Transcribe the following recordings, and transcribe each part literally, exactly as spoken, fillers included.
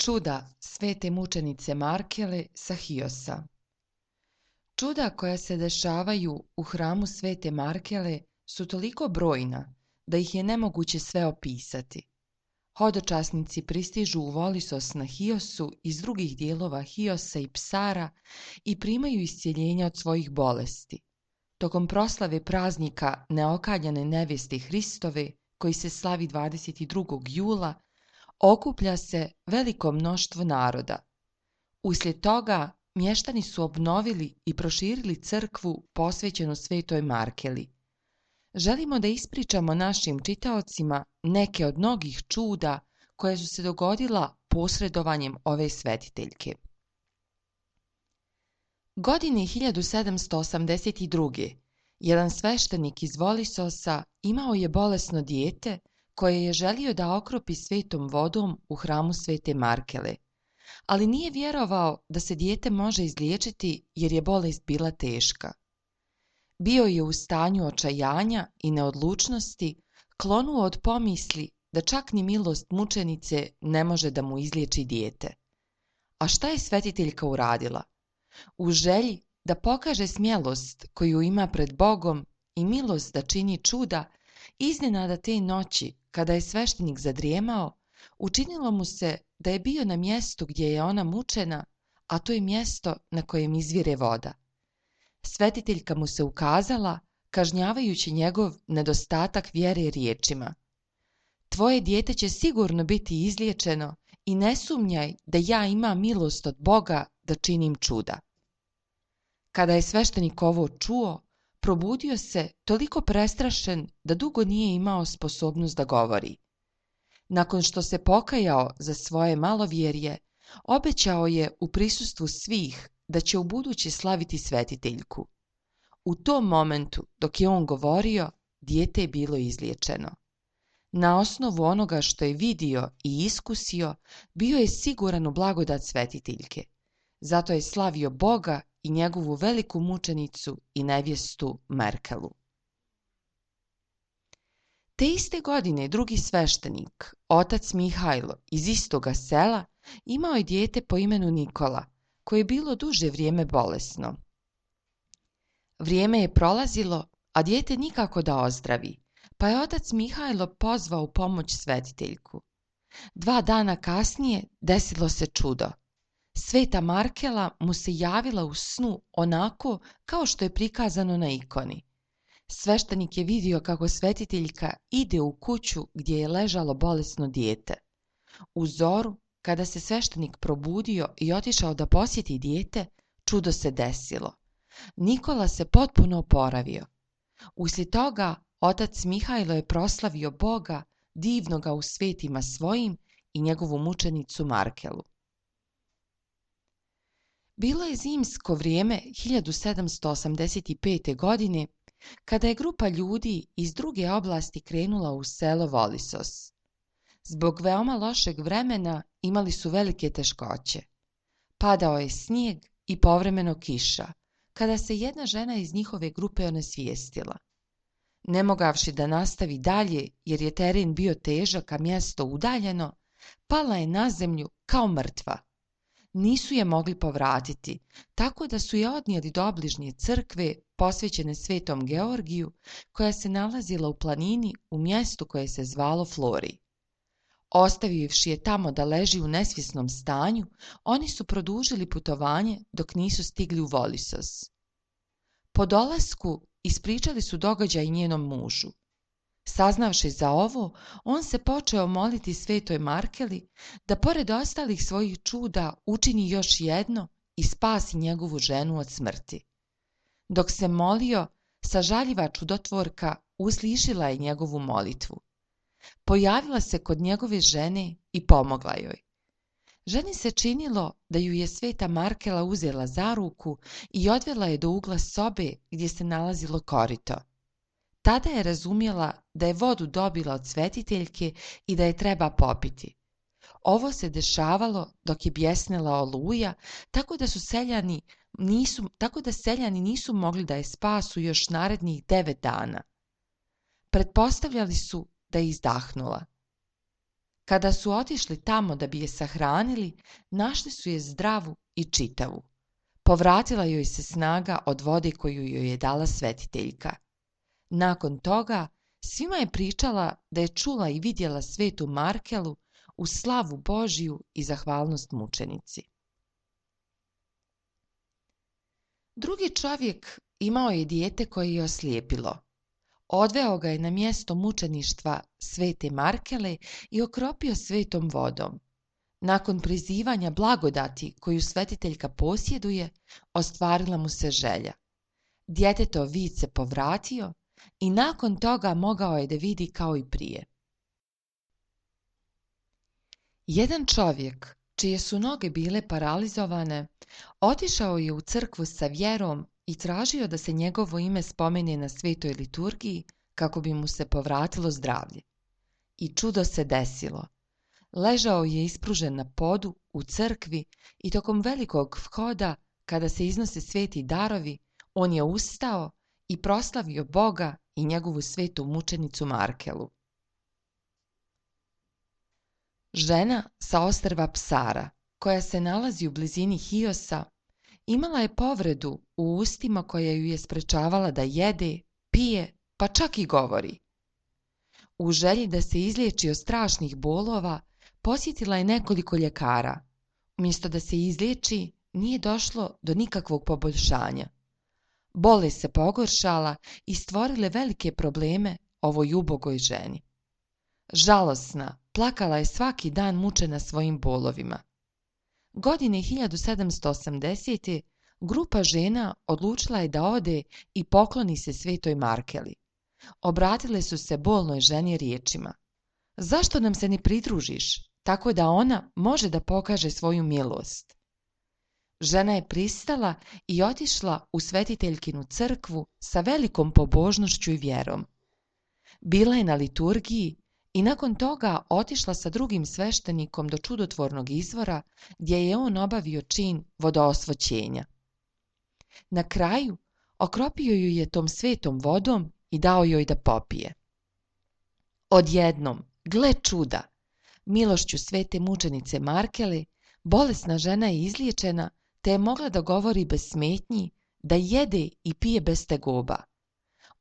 Čuda svete mučenice Markele sa Hiosa. Čuda koja se dešavaju u hramu svete Markele su toliko brojna da ih je nemoguće sve opisati. Hodočasnici pristižu u Volisos na Hiosu iz drugih dijelova Hiosa i Psara i primaju iscjeljenja od svojih bolesti. Tokom proslave praznika neokaljane nevjeste Hristove, koji se slavi dvadeset drugog jula, okuplja se veliko mnoštvo naroda. Uslijed toga mještani su obnovili i proširili crkvu posvećenu svetoj Markeli. Želimo da ispričamo našim čitaocima neke od mnogih čuda koja su se dogodila posredovanjem ove svetiteljke. Godine hiljadu sedamsto osamdeset druge. jedan sveštenik iz Volisosa imao je bolesno dijete koje je želio da okropi svetom vodom u hramu svete Markele, ali nije vjerovao da se dijete može izliječiti jer je bolest bila teška. Bio je u stanju očajanja i neodlučnosti, klonuo od pomisli da čak ni milost mučenice ne može da mu izliječi dijete. A šta je svetiteljka uradila? U želji da pokaže smjelost koju ima pred Bogom i milost da čini čuda, iznenada te noći, kada je sveštenik zadrijemao, učinilo mu se da je bio na mjestu gdje je ona mučena, a to je mjesto na kojem izvire voda. Svetiteljka mu se ukazala, kažnjavajući njegov nedostatak vjere riječima: "Tvoje dijete će sigurno biti izliječeno i ne sumnjaj da ja imam milost od Boga da činim čuda." Kada je sveštenik ovo čuo, probudio se toliko prestrašen da dugo nije imao sposobnost da govori. Nakon što se pokajao za svoje malovjerje, obećao je u prisustvu svih da će ubuduće slaviti svetiteljku. U tom momentu, dok je on govorio, dijete je bilo izliječeno. Na osnovu onoga što je vidio i iskusio, bio je siguran u blagodat svetiteljke. Zato je slavio Boga i njegovu veliku mučenicu i nevjestu Markelu. Te iste godine drugi sveštenik, otac Mihajlo iz istoga sela, imao je dijete po imenu Nikola, koje je bilo duže vrijeme bolesno. Vrijeme je prolazilo, a dijete nikako da ozdravi, pa je otac Mihajlo pozvao u pomoć svetiteljku. Dva dana kasnije desilo se čudo. Sveta Markela mu se javila u snu onako kao što je prikazano na ikoni. Sveštenik je vidio kako svetiteljka ide u kuću gdje je ležalo bolesno dijete. U zoru, kada se sveštenik probudio i otišao da posjeti dijete, čudo se desilo. Nikola se potpuno oporavio. Uslijed toga, otac Mihajlo je proslavio Boga, divnoga u svetima svojim, i njegovu mučenicu Markelu. Bilo je zimsko vrijeme hiljadu sedamsto osamdeset pete. godine, kada je grupa ljudi iz druge oblasti krenula u selo Volisos. Zbog veoma lošeg vremena imali su velike teškoće. Padao je snijeg i povremeno kiša, kada se jedna žena iz njihove grupe onesvijestila. Ne mogavši da nastavi dalje jer je teren bio težak, a mjesto udaljeno, pala je na zemlju kao mrtva. Nisu je mogli povratiti, tako da su je odnijeli do obližnje crkve posvećene svetom Georgiju, koja se nalazila u planini u mjestu koje se zvalo Flori. Ostavivši je tamo da leži u nesvjesnom stanju, oni su produžili putovanje dok nisu stigli u Volisos. Po dolasku ispričali su događaj njenom mužu. Saznavši za ovo, on se počeo moliti svetoj Markeli da pored ostalih svojih čuda učini još jedno i spasi njegovu ženu od smrti. Dok se molio, sažaljiva čudotvorka uslišila je njegovu molitvu. Pojavila se kod njegove žene i pomogla joj. Ženi se činilo da ju je sveta Markela uzela za ruku i odvela je do ugla sobe gdje se nalazilo korito. Tada je razumjela da je vodu dobila od svetiteljke i da je treba popiti. Ovo se dešavalo dok je bjesnela oluja, tako da su seljani nisu, tako da seljani nisu mogli da je spasu još narednih devet dana. Pretpostavljali su da je izdahnula. Kada su otišli tamo da bi je sahranili, našli su je zdravu i čitavu. Povratila joj se snaga od vode koju joj je dala svetiteljka. Nakon toga, svima je pričala da je čula i vidjela svetu Markelu u slavu Božju i zahvalnost mučenici. Drugi čovjek imao je dijete koje je oslijepilo. Odveo ga je na mjesto mučeništva svete Markele i okropio svetom vodom. Nakon prizivanja blagodati koju svetiteljka posjeduje, ostvarila mu se želja. Djetetov vid se povratio i nakon toga mogao je da vidi kao i prije. Jedan čovjek, čije su noge bile paralizovane, otišao je u crkvu sa vjerom i tražio da se njegovo ime spomene na svetoj liturgiji kako bi mu se povratilo zdravlje. I čudo se desilo. Ležao je ispružen na podu u crkvi i tokom velikog vhoda, kada se iznose sveti darovi, on je ustao i proslavio Boga i njegovu svetu mučenicu Markelu. Žena sa ostrva Psara, koja se nalazi u blizini Hiosa, imala je povredu u ustima koja ju je sprečavala da jede, pije, pa čak i govori. U želji da se izliječi od strašnih bolova, posjetila je nekoliko ljekara. Umjesto da se izliječi, nije došlo do nikakvog poboljšanja. Bolest se pogoršala i stvorile velike probleme ovoj ubogoj ženi. Žalosna, plakala je svaki dan mučena svojim bolovima. Godine hiljadu sedamsto osamdesete. grupa žena odlučila je da ode i pokloni se svetoj Markeli. Obratile su se bolnoj ženi riječima: zašto nam se ne pridružiš, tako da ona može da pokaže svoju milost? Žena je pristala i otišla u svetiteljkinu crkvu sa velikom pobožnošću i vjerom. Bila je na liturgiji i nakon toga otišla sa drugim sveštenikom do čudotvornog izvora gdje je on obavio čin vodoosvoćenja. Na kraju okropio ju je tom svetom vodom i dao joj da popije. Odjednom, gle čuda, milošću svete mučenice Markele, bolesna žena je izliječena te je mogla da govori bez smetnji, da jede i pije bez tegoba.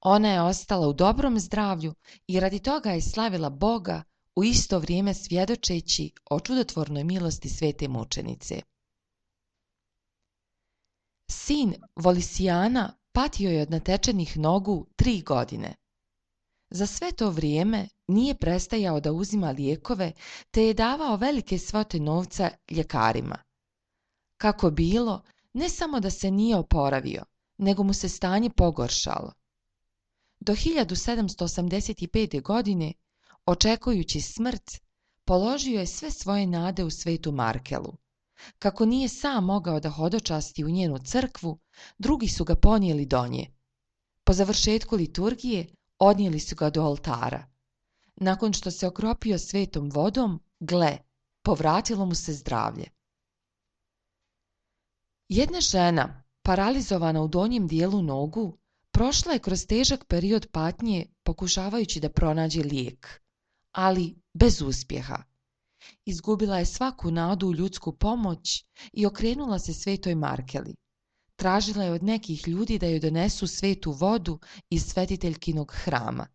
Ona je ostala u dobrom zdravlju i radi toga je slavila Boga, u isto vrijeme svjedočeći o čudotvornoj milosti svete mučenice. Sin Volisijana patio je od natečenih nogu tri godine. Za sve to vrijeme nije prestajao da uzima lijekove te je davao velike svote novca ljekarima. Kako bilo, ne samo da se nije oporavio, nego mu se stanje pogoršalo. Do hiljadu sedamsto osamdeset pete. godine, očekujući smrt, položio je sve svoje nade u svetu Markelu. Kako nije sam mogao da hodočasti u njenu crkvu, drugi su ga ponijeli do nje. Po završetku liturgije odnijeli su ga do oltara. Nakon što se okropio svetom vodom, gle, povratilo mu se zdravlje. Jedna žena, paralizovana u donjem dijelu nogu, prošla je kroz težak period patnje pokušavajući da pronađe lijek, ali bez uspjeha. Izgubila je svaku nadu u ljudsku pomoć i okrenula se svetoj Markeli. Tražila je od nekih ljudi da joj donesu svetu vodu iz svetiteljkinog hrama.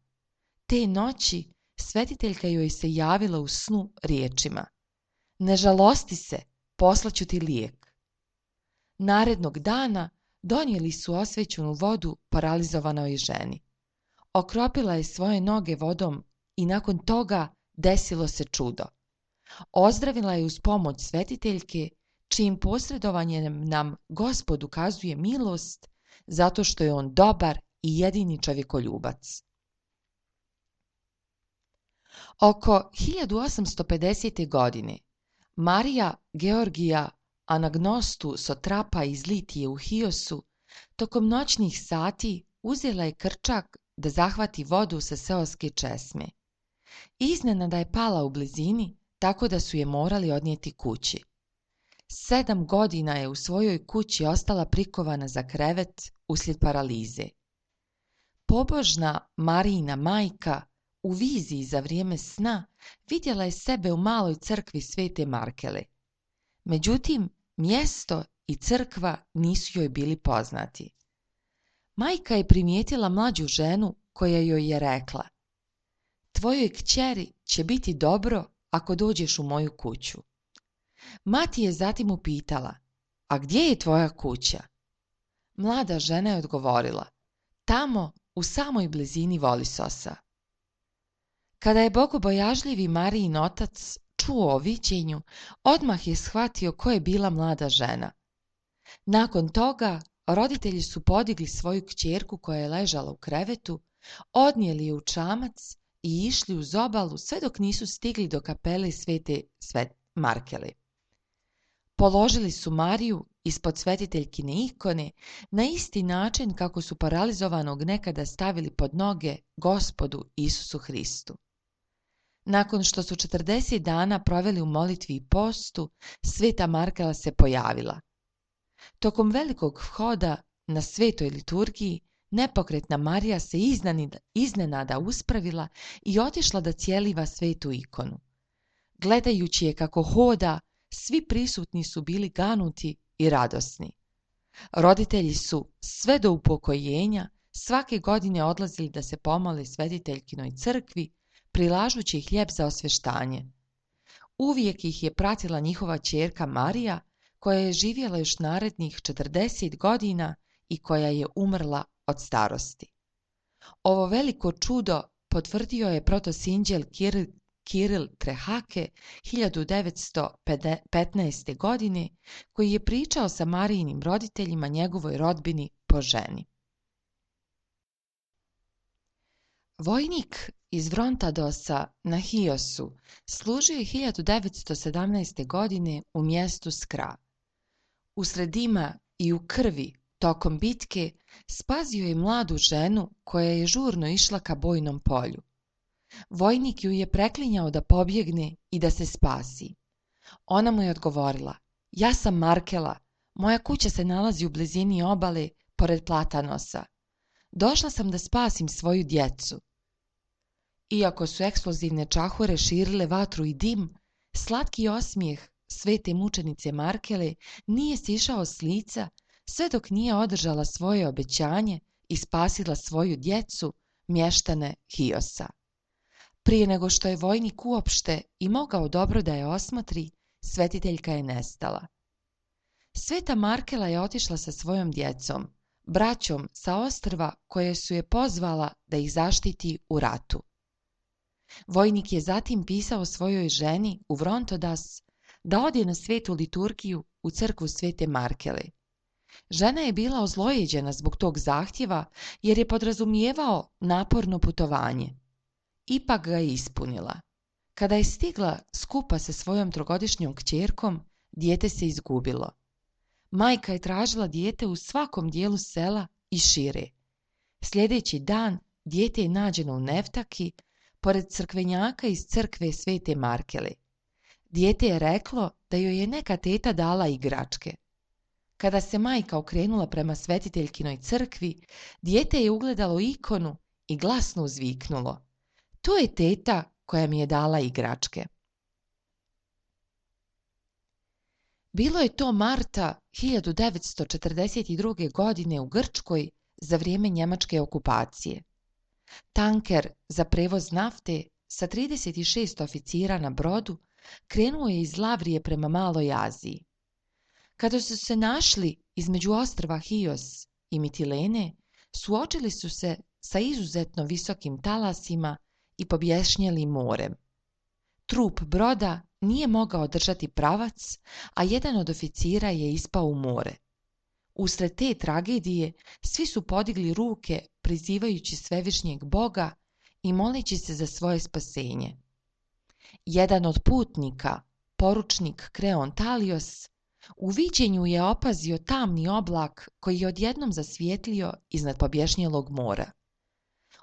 Te noći svetiteljka joj se javila u snu riječima: ne žalosti se, poslaću ti lijek. Narednog dana donijeli su osvećenu vodu paralizovanoj ženi. Okropila je svoje noge vodom i nakon toga desilo se čudo. Ozdravila je uz pomoć svetiteljke, čijim posredovanjem nam Gospod ukazuje milost, zato što je on dobar i jedini čovjekoljubac. Oko hiljadu osamsto pedesete. godine Marija Georgija Anagnostu Sotrapa iz Litije u Hiosu tokom noćnih sati uzela je krčak da zahvati vodu sa seoske česme. Iznenada je pala u blizini, tako da su je morali odnijeti kući. Sedam godina je u svojoj kući ostala prikovana za krevet uslijed paralize. Pobožna Marijina majka U viziji za vrijeme sna vidjela je sebe u maloj crkvi Svete Markele. Međutim, mjesto i crkva nisu joj bili poznati. Majka je primijetila mlađu ženu koja joj je rekla: tvojoj kćeri će biti dobro ako dođeš u moju kuću. Mati je zatim upitala: a gdje je tvoja kuća? Mlada žena je odgovorila: tamo, u samoj blizini Volisosa. Kada je bogobojažljivi Marijin otac čuo o viđenju, odmah je shvatio ko je bila mlada žena. Nakon toga, roditelji su podigli svoju kćerku koja je ležala u krevetu, odnijeli je u čamac i išli uz obalu sve dok nisu stigli do kapele Svete Markele. Položili su Mariju ispod svetiteljkine ikone na isti način kako su paralizovanog nekada stavili pod noge Gospodu Isusu Hristu. Nakon što su četrdeset dana proveli u molitvi i postu, Sveta Markela se pojavila. Tokom velikog vhoda na svetoj liturgiji, nepokretna Marija se iznenada uspravila i otišla da cijeliva svetu ikonu. Gledajući je kako hoda, svi prisutni su bili ganuti i radosni. Roditelji su sve do upokojenja svake godine odlazili da se pomole svetiteljkinoj crkvi, prilažući hljeb za osveštanje. Uvijek ih je pratila njihova ćerka Marija, koja je živjela još narednih četrdeset godina i koja je umrla od starosti. Ovo veliko čudo potvrdio je protosinđel Kiril, Kiril Trehake hiljadu devetsto petnaeste. godine, koji je pričao sa Marijinim roditeljima njegovoj rodbini po ženi. Vojnik iz Vrontadosa na Hiosu služio je hiljadu devetsto sedamnaeste. godine u mjestu Skra. Usred dima i u krvi tokom bitke spasio je mladu ženu koja je žurno išla ka bojnom polju. Vojnik ju je preklinjao da pobjegne i da se spasi. Ona mu je odgovorila: ja sam Markela, moja kuća se nalazi u blizini obale pored Platanosa. Došla sam da spasim svoju djecu. Iako su eksplozivne čahure širile vatru i dim, slatki osmijeh svete mučenice Markele nije sišao s lica sve dok nije održala svoje obećanje i spasila svoju djecu, mještane Hiosa. Prije nego što je vojnik uopšte i mogao dobro da je osmotri, svetiteljka je nestala. Sveta Markela je otišla sa svojom djecom, braćom sa ostrva koje su je pozvala da ih zaštiti u ratu. Vojnik je zatim pisao svojoj ženi u Vrontodas da ode na svetu liturgiju u crkvu Svete Markele. Žena je bila ozlojeđena zbog tog zahtjeva jer je podrazumijevao naporno putovanje. Ipak ga je ispunila. Kada je stigla skupa sa svojom trogodišnjom kćerkom, dijete se izgubilo. Majka je tražila dijete u svakom dijelu sela i šire. Sljedeći dan dijete je nađeno u Neftaki, pored crkvenjaka iz crkve Svete Markele. Dijete je reklo da joj je neka teta dala igračke. Kada se majka okrenula prema svetiteljkinoj crkvi, dijete je ugledalo ikonu i glasno uzviknulo: to je teta koja mi je dala igračke. Bilo je to marta hiljadu devetsto četrdeset druge. godine u Grčkoj za vrijeme njemačke okupacije. Tanker za prevoz nafte sa trideset šest oficira na brodu krenuo je iz Lavrije prema Maloj Aziji. Kada su se našli između ostrva Hios i Mitilene, suočili su se sa izuzetno visokim talasima i pobješnjelim morem. Trup broda nije mogao držati pravac, a jedan od oficira je ispao u more. Usred te tragedije svi su podigli ruke prizivajući svevišnjeg Boga i moleći se za svoje spasenje. Jedan od putnika, poručnik Kreon Talios, u viđenju je opazio tamni oblak koji je odjednom zasvijetlio iznad pobješnjelog mora.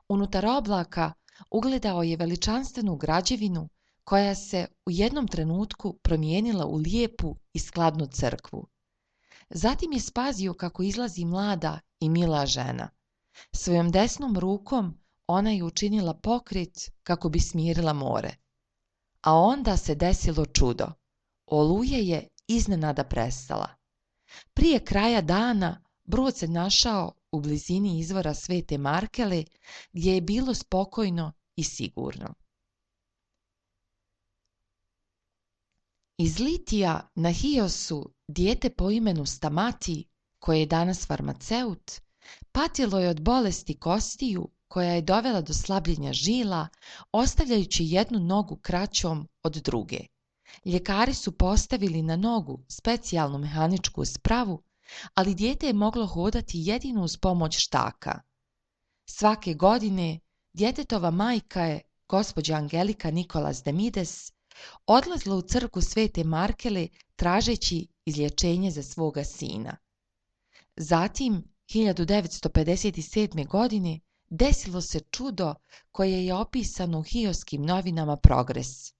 Unutar oblaka ugledao je veličanstvenu građevinu koja se u jednom trenutku promijenila u lijepu i skladnu crkvu. Zatim je spazio kako izlazi mlada i mila žena. Svojom desnom rukom ona je učinila pokret kako bi smirila more. A onda se desilo čudo. Oluja je iznenada prestala. Prije kraja dana brod se našao u blizini izvora Svete Markele, gdje je bilo spokojno i sigurno. Iz Litija na Hiosu dijete po imenu Stamati, koje je danas farmaceut, patilo je od bolesti kostiju koja je dovela do slabljenja žila, ostavljajući jednu nogu kraćom od druge. Ljekari su postavili na nogu specijalnu mehaničku spravu, ali dijete je moglo hodati jedino uz pomoć štaka. Svake godine djetetova majka je, gospođa Angelika Nikolas Demides, odlazila u crkvu Svete Markele tražeći izlječenje za svoga sina. Zatim, hiljadu devetsto pedeset sedme. godine, desilo se čudo koje je opisano u hioskim novinama Progres.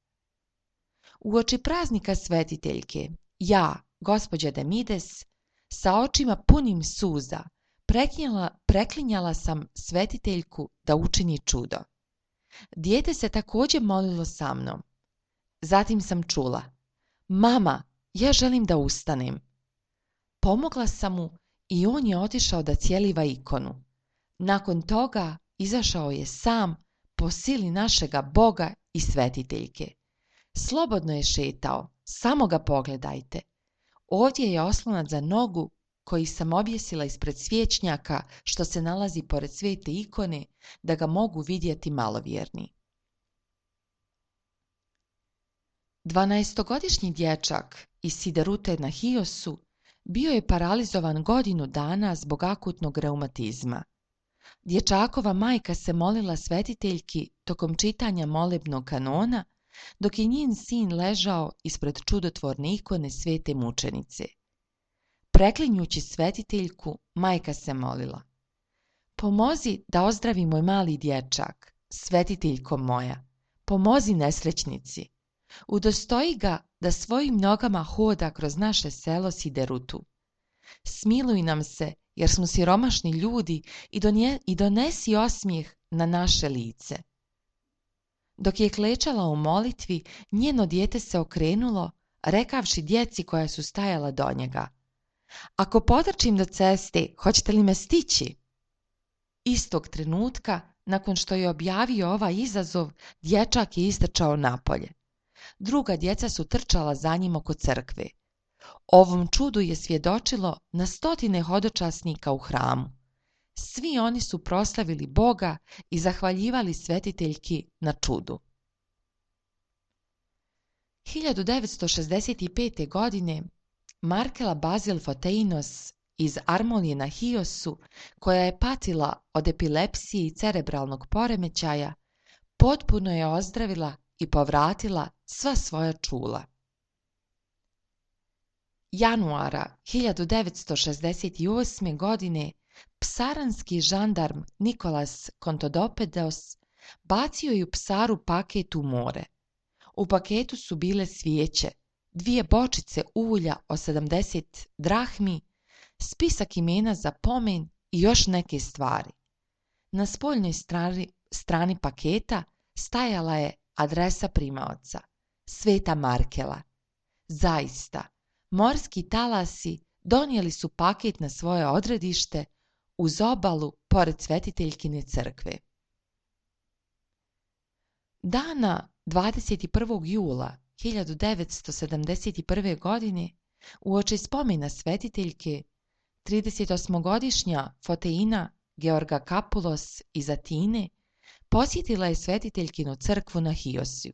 Uoči praznika svetiteljke, ja, gospođa Demides, sa očima punim suza, preklinjala, preklinjala sam svetiteljku da učini čudo. Dijete se također molilo sa mnom. Zatim sam čula: mama, ja želim da ustanem. Pomogla sam mu i on je otišao da cijeliva ikonu. Nakon toga izašao je sam po sili našega Boga i svetiteljke. Slobodno je šetao, samo ga pogledajte. Ovdje je oslonac za nogu koji sam objesila ispred svječnjaka što se nalazi pored svete ikone, da ga mogu vidjeti malovjerni. Dvanaestogodišnji dječak iz Siderute na Hiosu bio je paralizovan godinu dana zbog akutnog reumatizma. Dječakova majka se molila svetiteljki tokom čitanja molebnog kanona, dok je njen sin ležao ispred čudotvorne ikone svete mučenice. Preklinjući svetiteljku, majka se molila: pomozi da ozdravi moj mali dječak, svetiteljko moja, pomozi nesrećnici. Udostoji ga da svojim nogama hoda kroz naše selo Siderutu. Smiluj nam se, jer smo siromašni ljudi, i, donje, i donesi osmijeh na naše lice. Dok je klečala u molitvi, njeno dijete se okrenulo, rekavši djeci koja su stajala do njega: ako potrčim do ceste, hoćete li me stići? Istog trenutka, nakon što je objavio ovaj izazov, dječak je istrčao napolje. Druga djeca su trčala za njim oko crkve. Ovom čudu je svjedočilo na stotine hodočasnika u hramu. Svi oni su proslavili Boga i zahvaljivali svetiteljki na čudu. hiljadu devetsto šezdeset pete. godine Markela Bazil Foteinos iz Armolije na Hiosu, koja je patila od epilepsije i cerebralnog poremećaja, potpuno je ozdravila i povratila sva svoja čula. Januara hiljadu devetsto šezdeset osme. godine psaranski žandarm Nikolas Kontodopedos bacio je u Psaru paket u more. U paketu su bile svijeće, dvije bočice ulja o sedamdeset drahmi, spisak imena za pomen i još neke stvari. Na spoljnoj strani, strani paketa stajala je adresa primaoca: Sveta Markela. Zaista, morski talasi donijeli su paket na svoje odredište uz obalu pored svetiteljkine crkve. Dana dvadeset prvog jula hiljadu devetsto sedamdeset prve. godine, uoči spomena svetiteljke, tridesetosmogodišnja Foteina Georga Kapulos iz Atine posjetila je svetiteljkinu crkvu na Hiosiju.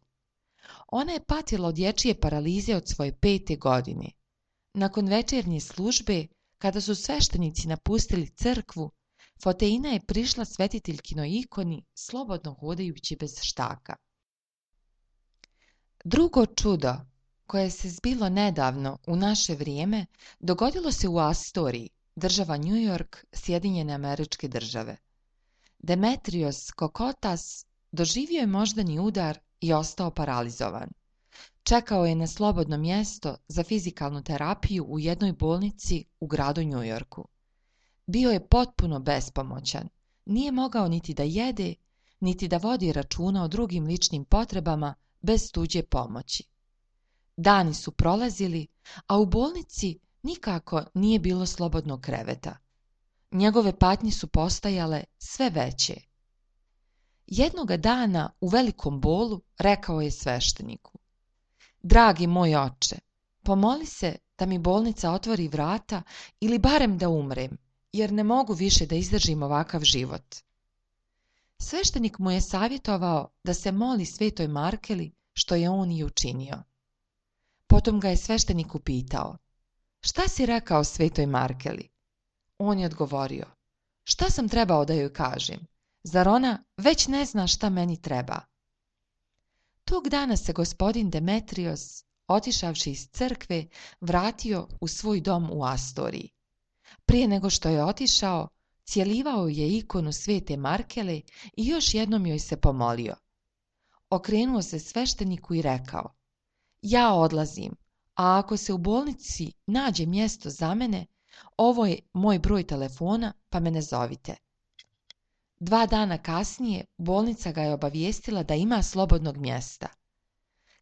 Ona je patila od dječje paralize od svoje pete godine. Nakon večernje službe, kada su sveštenici napustili crkvu, Foteina je prišla svetiteljkinoj ikoni slobodno hodajući bez štaka. Drugo čudo, koje se zbilo nedavno u naše vrijeme, dogodilo se u Astoriji, država New York, Sjedinjene Američke Države. Demetrios Kokotas doživio je moždani udar i ostao paralizovan. Čekao je na slobodno mjesto za fizikalnu terapiju u jednoj bolnici u gradu New Yorku. Bio je potpuno bespomoćan, nije mogao niti da jede, niti da vodi računa o drugim ličnim potrebama bez tuđe pomoći. Dani su prolazili, a u bolnici nikako nije bilo slobodnog kreveta. Njegove patnje su postajale sve veće. Jednoga dana u velikom bolu rekao je svešteniku: Dragi moj oče, pomoli se da mi bolnica otvori vrata ili barem da umrem, jer ne mogu više da izdržim ovakav život. Sveštenik mu je savjetovao da se moli svetoj Markeli, što je on i učinio. Potom ga je sveštenik upitao: Šta si rekao svetoj Markeli? On je odgovorio: Šta sam trebao da joj kažem? Zar ona već ne zna šta meni treba? Tog dana se gospodin Demetrios, otišavši iz crkve, vratio u svoj dom u Astoriji. Prije nego što je otišao, cjelivao je ikonu svete Markele i još jednom joj se pomolio. Okrenuo se svešteniku i rekao: Ja odlazim, a ako se u bolnici nađe mjesto za mene, ovo je moj broj telefona, pa me ne zovite. Dva dana kasnije bolnica ga je obavijestila da ima slobodnog mjesta.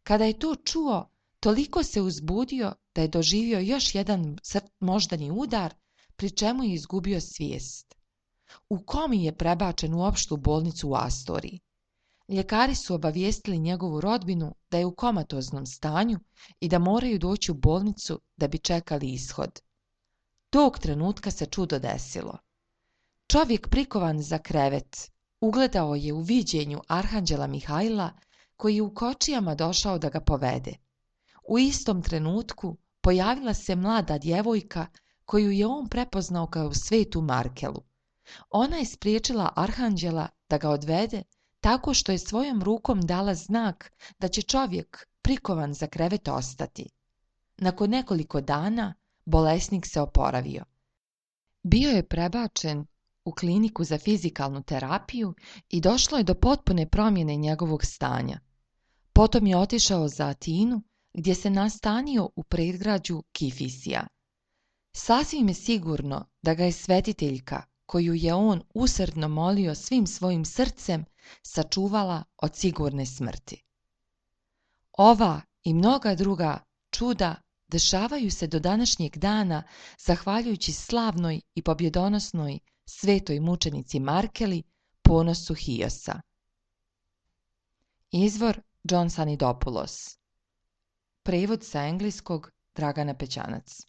Kada je to čuo, toliko se uzbudio da je doživio još jedan moždani udar, pri čemu je izgubio svijest. U komi je prebačen u opštu bolnicu u Astoriji. Ljekari su obavijestili njegovu rodbinu da je u komatoznom stanju i da moraju doći u bolnicu da bi čekali ishod. Tog trenutka se čudo desilo. Čovjek prikovan za krevet ugledao je u viđenju arhanđela Mihajla, koji je u kočijama došao da ga povede. U istom trenutku pojavila se mlada djevojka koju je on prepoznao kao svetu Markelu. Ona je spriječila arhanđela da ga odvede tako što je svojom rukom dala znak da će čovjek prikovan za krevet ostati. Nakon nekoliko dana bolesnik se oporavio. Bio je prebačen u kliniku za fizikalnu terapiju i došlo je do potpune promjene njegovog stanja. Potom je otišao za Atinu, gdje se nastanio u predgrađu Kifisija. Sasvim je sigurno da ga je svetiteljka, koju je on usrdno molio svim svojim srcem, sačuvala od sigurne smrti. Ova i mnoga druga čuda dešavaju se do današnjeg dana zahvaljujući slavnoj i pobjedonosnoj svetoj mučenici Markeli, ponosu Hiosa. Izvor John Sanidopoulos. Prevod sa engleskog Dragana Pećanac.